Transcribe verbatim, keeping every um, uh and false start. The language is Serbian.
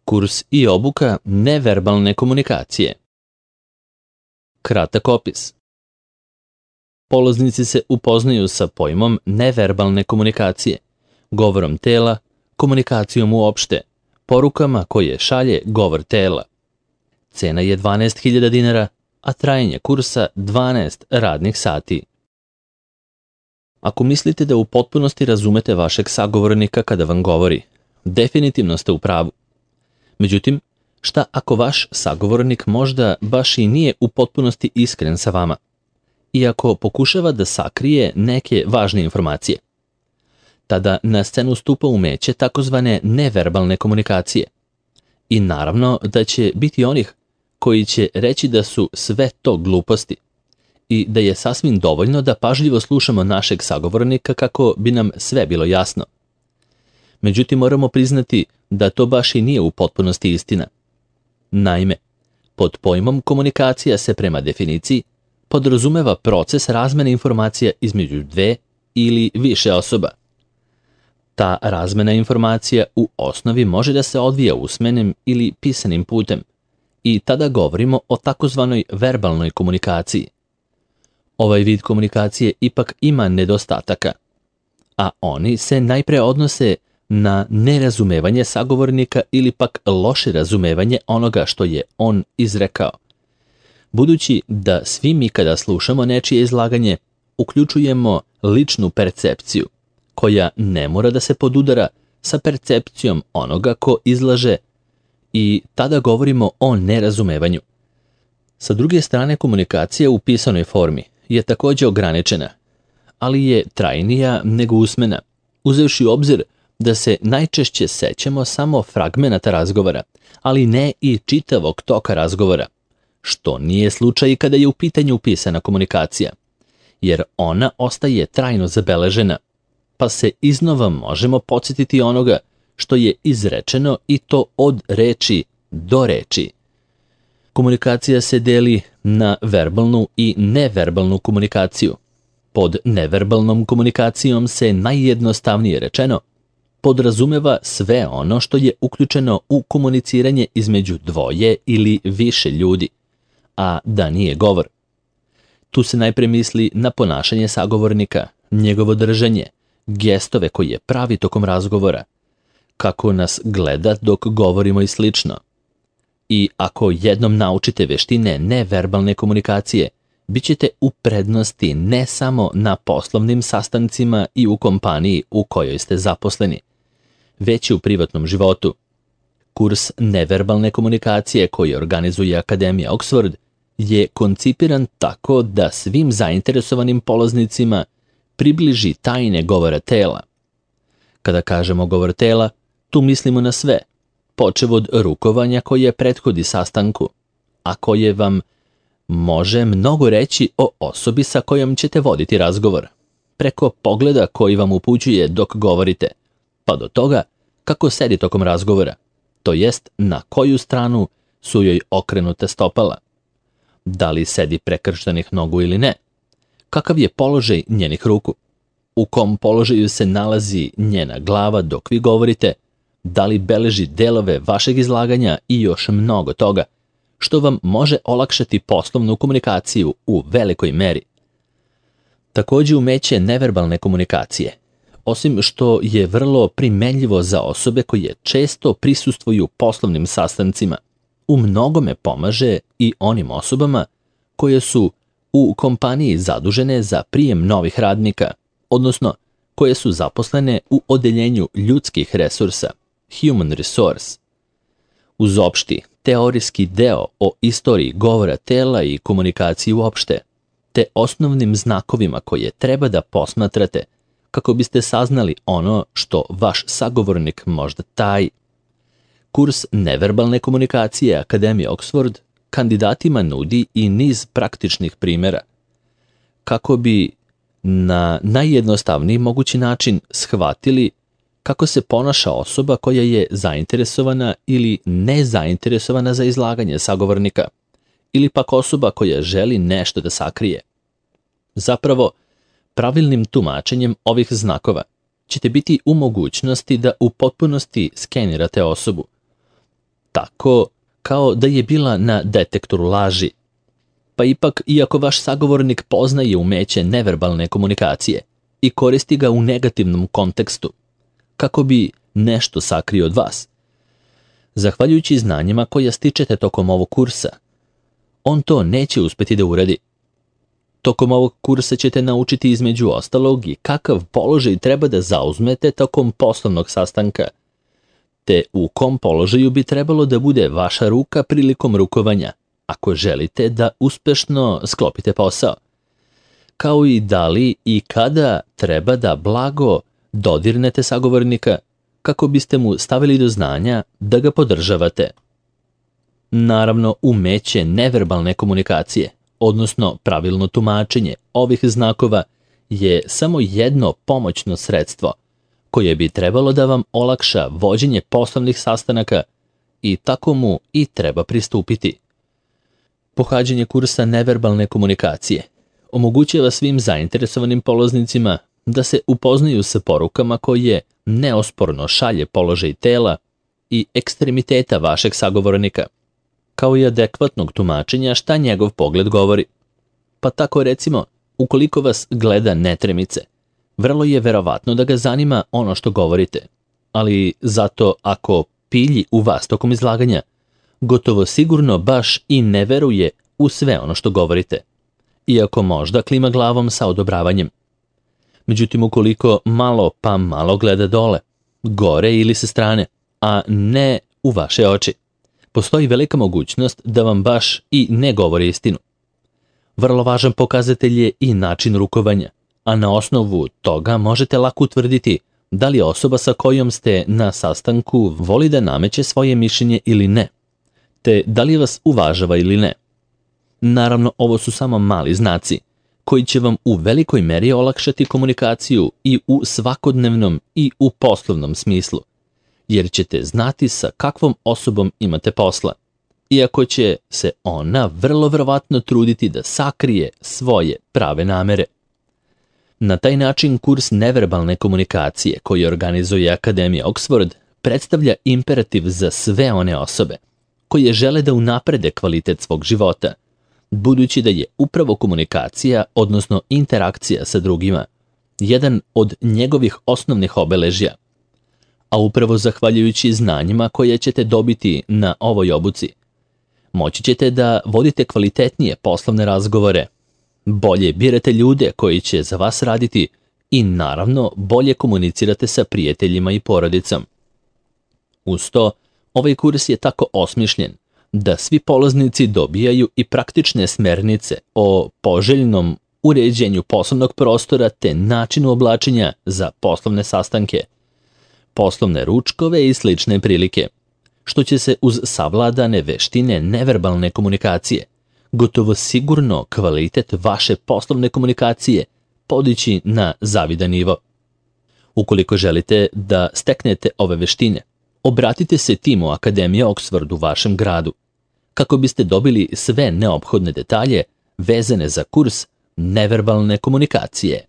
Kurs i obuka neverbalne komunikacije. Kratak opis. Polaznici se upoznaju sa pojmom neverbalne komunikacije, govorom tela, komunikacijom uopšte, porukama koje šalje govor tela. Cena je dvanaest hiljada dinara, a trajanje kursa dvanaest radnih sati. Ako mislite da u potpunosti razumete vašeg sagovornika kada vam govori, definitivno ste u pravu. Međutim, šta ako vaš sagovornik možda baš i nije u potpunosti iskren sa vama, iako pokušava da sakrije neke važne informacije? Tada na scenu stupa umeće takozvane neverbalne komunikacije. I naravno da će biti onih koji će reći da su sve to gluposti i da je sasvim dovoljno da pažljivo slušamo našeg sagovornika kako bi nam sve bilo jasno. Međutim, moramo priznati da to baš i nije u potpunosti istina. Naime, pod pojmom komunikacija se prema definiciji podrazumeva proces razmene informacija između dve ili više osoba. Ta razmena informacija u osnovi može da se odvija usmenim ili pisanim putem i tada govorimo o takozvanoj verbalnoj komunikaciji. Ovaj vid komunikacije ipak ima nedostataka, a oni se najpre odnose na nerazumevanje sagovornika ili pak loše razumevanje onoga što je on izrekao. Budući da svi mi kada slušamo nečije izlaganje uključujemo ličnu percepciju, koja ne mora da se podudara sa percepcijom onoga ko izlaže, i tada govorimo o nerazumevanju. Sa druge strane, komunikacija u pisanoj formi je također ograničena, ali je trajnija nego usmena, uzevši u obzir da se najčešće sećamo samo fragmenata razgovora, ali ne i čitavog toka razgovora, što nije slučaj kada je u pitanju pisana komunikacija, jer ona ostaje trajno zabeležena, pa se iznova možemo podsjetiti onoga što je izrečeno i to od reči do reči. Komunikacija se deli na verbalnu i neverbalnu komunikaciju. Pod neverbalnom komunikacijom se najjednostavnije rečeno podrazumeva sve ono što je uključeno u komuniciranje između dvoje ili više ljudi, a da nije govor. Tu se najpre misli na ponašanje sagovornika, njegovo držanje, gestove koje pravi tokom razgovora, kako nas gleda dok govorimo i slično. I ako jednom naučite veštine neverbalne komunikacije, bit ćete u prednosti ne samo na poslovnim sastancima i u kompaniji u kojoj ste zaposleni, već i u privatnom životu. Kurs neverbalne komunikacije koji organizuje Akademija Oxford je koncipiran tako da svim zainteresovanim polaznicima približi tajne govora tela. Kada kažemo govor tela, tu mislimo na sve, počev od rukovanja koje prethodi sastanku, a koje vam može mnogo reći o osobi sa kojom ćete voditi razgovor, preko pogleda koji vam upućuje dok govorite, pa do toga kako sedi tokom razgovora, to jest na koju stranu su joj okrenuta stopala, da li sedi prekrštenih nogu ili ne, kakav je položaj njenih ruku, u kom položaju se nalazi njena glava dok vi govorite, da li beleži delove vašeg izlaganja i još mnogo toga, što vam može olakšati poslovnu komunikaciju u velikoj meri. Također umeće neverbalne komunikacije, osim što je vrlo primenljivo za osobe koje često prisustvuju poslovnim sastancima, u mnogome pomaže i onim osobama koje su u kompaniji zadužene za prijem novih radnika, odnosno koje su zaposlene u odeljenju ljudskih resursa, human resource. Uz opšti, teorijski deo o istoriji govora tela i komunikaciji uopšte, te osnovnim znakovima koje treba da posmatrate kako biste saznali ono što vaš sagovornik možda taji. Kurs neverbalne komunikacije Akademije Oxford kandidatima nudi i niz praktičnih primjera, kako bi na najjednostavniji mogući način shvatili kako se ponaša osoba koja je zainteresovana ili nezainteresovana za izlaganje sagovornika, ili pak osoba koja želi nešto da sakrije. Zapravo, pravilnim tumačenjem ovih znakova ćete biti u mogućnosti da u potpunosti skenirate osobu, tako kao da je bila na detektoru laži. Pa ipak, iako vaš sagovornik poznaje umeće neverbalne komunikacije i koristi ga u negativnom kontekstu, kako bi nešto sakrio od vas, zahvaljujući znanjima koja stičete tokom ovog kursa, on to neće uspjeti da uradi. Tokom ovog kursa ćete naučiti između ostalog i kakav položaj treba da zauzmete tokom poslovnog sastanka, te u kom položaju bi trebalo da bude vaša ruka prilikom rukovanja, ako želite da uspešno sklopite posao, kao i da li i kada treba da blago dodirnete sagovornika kako biste mu stavili do znanja da ga podržavate. Naravno, umeće neverbalne komunikacije, odnosno pravilno tumačenje ovih znakova, je samo jedno pomoćno sredstvo koje bi trebalo da vam olakša vođenje poslovnih sastanaka i tako mu i treba pristupiti. Pohađanje kursa neverbalne komunikacije omogućava svim zainteresovanim polaznicima da se upoznaju sa porukama koje neosporno šalje položaj tela i ekstremiteta vašeg sagovornika, kao i adekvatnog tumačenja šta njegov pogled govori. Pa tako recimo, ukoliko vas gleda netremice, vrlo je verovatno da ga zanima ono što govorite, ali zato ako pilji u vas tokom izlaganja, gotovo sigurno baš i ne veruje u sve ono što govorite, iako možda klima glavom sa odobravanjem. Međutim, ukoliko malo pa malo gleda dole, gore ili sa strane, a ne u vaše oči, postoji velika mogućnost da vam baš i ne govori istinu. Vrlo važan pokazatelj je i način rukovanja, a na osnovu toga možete lako utvrditi da li osoba sa kojom ste na sastanku voli da nameće svoje mišljenje ili ne, te da li vas uvažava ili ne. Naravno, ovo su samo mali znaci koji će vam u velikoj meri olakšati komunikaciju i u svakodnevnom i u poslovnom smislu, jer ćete znati sa kakvom osobom imate posla, iako će se ona vrlo verovatno truditi da sakrije svoje prave namere. Na taj način kurs neverbalne komunikacije koji organizuje Akademija Oxford predstavlja imperativ za sve one osobe koje žele da unaprede kvalitet svog života, budući da je upravo komunikacija, odnosno interakcija sa drugima, jedan od njegovih osnovnih obeležja. A upravo zahvaljujući znanjima koje ćete dobiti na ovoj obuci, moći ćete da vodite kvalitetnije poslovne razgovore, bolje birate ljude koji će za vas raditi i naravno bolje komunicirate sa prijateljima i porodicom. Uz to, ovaj kurs je tako osmišljen da svi polaznici dobijaju i praktične smernice o poželjnom uređenju poslovnog prostora te načinu oblačenja za poslovne sastanke, poslovne ručkove i slične prilike, što će se uz savladane veštine neverbalne komunikacije gotovo sigurno kvalitet vaše poslovne komunikacije podići na zavidan nivo. Ukoliko želite da steknete ove veštine, obratite se timu Akademije Oxford u vašem gradu, kako biste dobili sve neophodne detalje vezane za kurs neverbalne komunikacije.